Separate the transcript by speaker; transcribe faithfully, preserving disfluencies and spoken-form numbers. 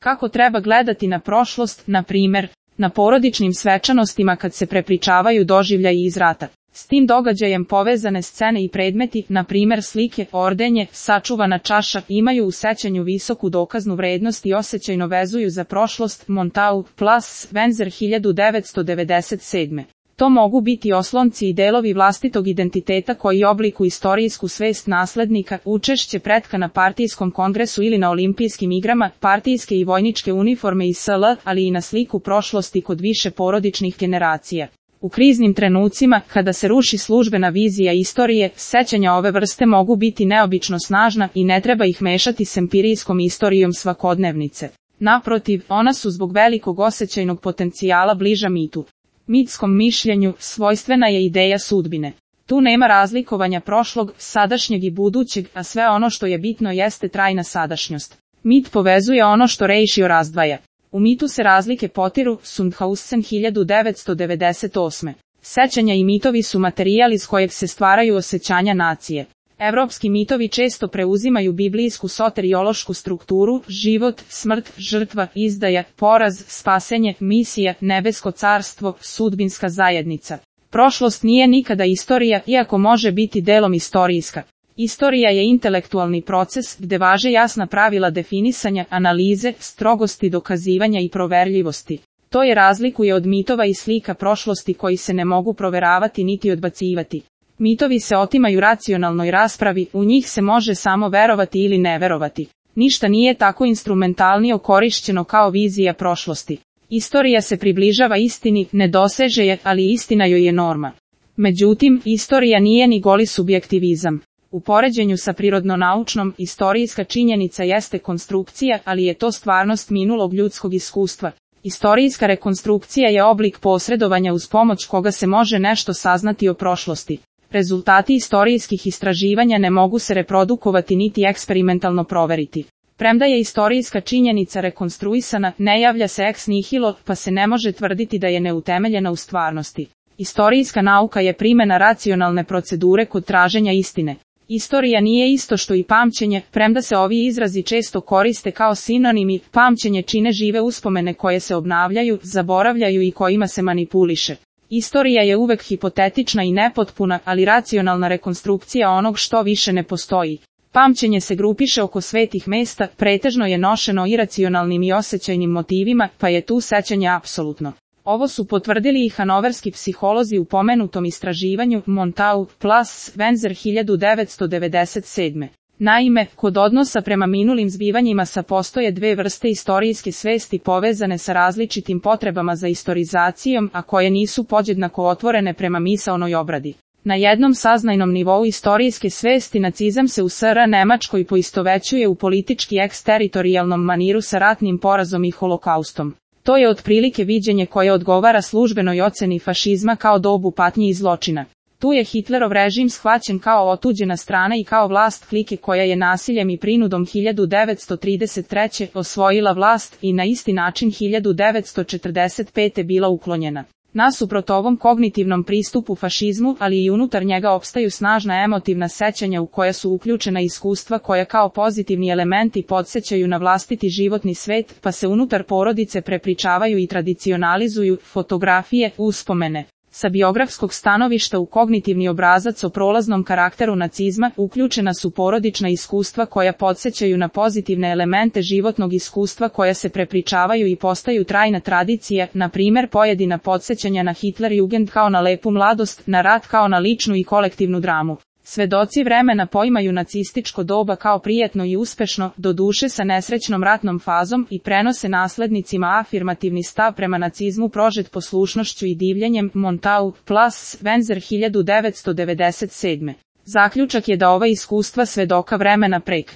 Speaker 1: Kako treba gledati na prošlost, na primjer, na porodičnim svečanostima kad se prepričavaju doživljaji iz rata. S tim događajem povezane scene i predmeti, na primjer slike, ordenje, sačuvana čaša, imaju u sećanju visoku dokaznu vrednost i osjećajno vezuju za prošlost. Montau, Plas, Wenzer hiljadu devetsto devedeset sedme. To mogu biti oslonci i delovi vlastitog identiteta koji oblikuju istorijsku svest naslednika, učešće pretka na partijskom kongresu ili na olimpijskim igrama, partijske i vojničke uniforme i sl., ali i na sliku prošlosti kod više porodičnih generacija. U kriznim trenucima, kada se ruši službena vizija istorije, sećanja ove vrste mogu biti neobično snažna i ne treba ih mešati s empirijskom istorijom svakodnevnice. Naprotiv, ona su zbog velikog osjećajnog potencijala bliža mitu. Mitskom mišljenju svojstvena je ideja sudbine. Tu nema razlikovanja prošlog, sadašnjeg i budućeg, a sve ono što je bitno jeste trajna sadašnjost. Mit povezuje ono što Reišio razdvaja. U mitu se razlike potiru. Sundhausen hiljadu devetsto devedeset osme. Sećanja i mitovi su materijal iz kojeg se stvaraju osjećanja nacije. Evropski mitovi često preuzimaju biblijsku soteriološku strukturu, život, smrt, žrtva, izdaja, poraz, spasenje, misija, nebesko carstvo, sudbinska zajednica. Prošlost nije nikada istorija, iako može biti delom istorijska. Istorija je intelektualni proces gde važe jasna pravila definisanja, analize, strogosti dokazivanja i proverljivosti. To je razlikuje od mitova i slika prošlosti koji se ne mogu proveravati niti odbacivati. Mitovi se otimaju racionalnoj raspravi, u njih se može samo verovati ili ne verovati. Ništa nije tako instrumentalnije korišćeno kao vizija prošlosti. Istorija se približava istini, ne doseže je, ali istina joj je norma. Međutim, istorija nije ni goli subjektivizam. U poređenju sa prirodno-naučnom, istorijska činjenica jeste konstrukcija, ali je to stvarnost minulog ljudskog iskustva. Istorijska rekonstrukcija je oblik posredovanja uz pomoć koga se može nešto saznati o prošlosti. Rezultati istorijskih istraživanja ne mogu se reprodukovati niti eksperimentalno proveriti. Premda je istorijska činjenica rekonstruisana, ne javlja se ex nihilo, pa se ne može tvrditi da je neutemeljena u stvarnosti. Istorijska nauka je primjena racionalne procedure kod traženja istine. Istorija nije isto što i pamćenje, premda se ovi izrazi često koriste kao sinonimi. Pamćenje čine žive uspomene koje se obnavljaju, zaboravljaju i kojima se manipuliše. Istorija je uvek hipotetična i nepotpuna, ali racionalna rekonstrukcija onog što više ne postoji. Pamćenje se grupiše oko svetih mesta, pretežno je nošeno iracionalnim i osjećajnim motivima, pa je tu sećanje apsolutno. Ovo su potvrdili i hanoverski psiholozi u pomenutom istraživanju. Montau, Plas, Wenzer hiljadu devetsto devedeset sedme. Naime, kod odnosa prema minulim zbivanjima sa postoje dve vrste istorijske svesti povezane sa različitim potrebama za istorizacijom, a koje nisu podjednako otvorene prema misaonoj obradi. Na jednom saznajnom nivou istorijske svesti nacizam se u S R Nemačkoj poistovećuje u politički eksteritorijalnom maniru sa ratnim porazom i holokaustom. To je otprilike viđenje koje odgovara službenoj oceni fašizma kao dobu patnji i zločina. Tu je Hitlerov režim shvaćen kao otuđena strana i kao vlast klike koja je nasiljem i prinudom hiljadu devetsto trideset treće. osvojila vlast i na isti način hiljadu devetsto četrdeset pete bila uklonjena. Nasuprot ovom kognitivnom pristupu fašizmu, ali i unutar njega opstaju snažna emotivna sećanja u koja su uključena iskustva koja kao pozitivni elementi podsjećaju na vlastiti životni svet, pa se unutar porodice prepričavaju i tradicionalizuju. Fotografije, uspomene. Sa biografskog stanovišta u kognitivni obrazac o prolaznom karakteru nacizma uključena su porodična iskustva koja podsjećaju na pozitivne elemente životnog iskustva koja se prepričavaju i postaju trajna tradicija, na primjer pojedina podsjećanja na Hitlerjugend kao na lepu mladost, na rat kao na ličnu i kolektivnu dramu. Svedoci vremena poimaju nacističko doba kao prijetno i uspešno, doduše sa nesrećnom ratnom fazom, i prenose naslednicima afirmativni stav prema nacizmu prožet poslušnošću i divljenjem. Montau, Plas, Wenzer hiljadu devetsto devedeset sedme. Zaključak je da ova iskustva svedoka vremena prek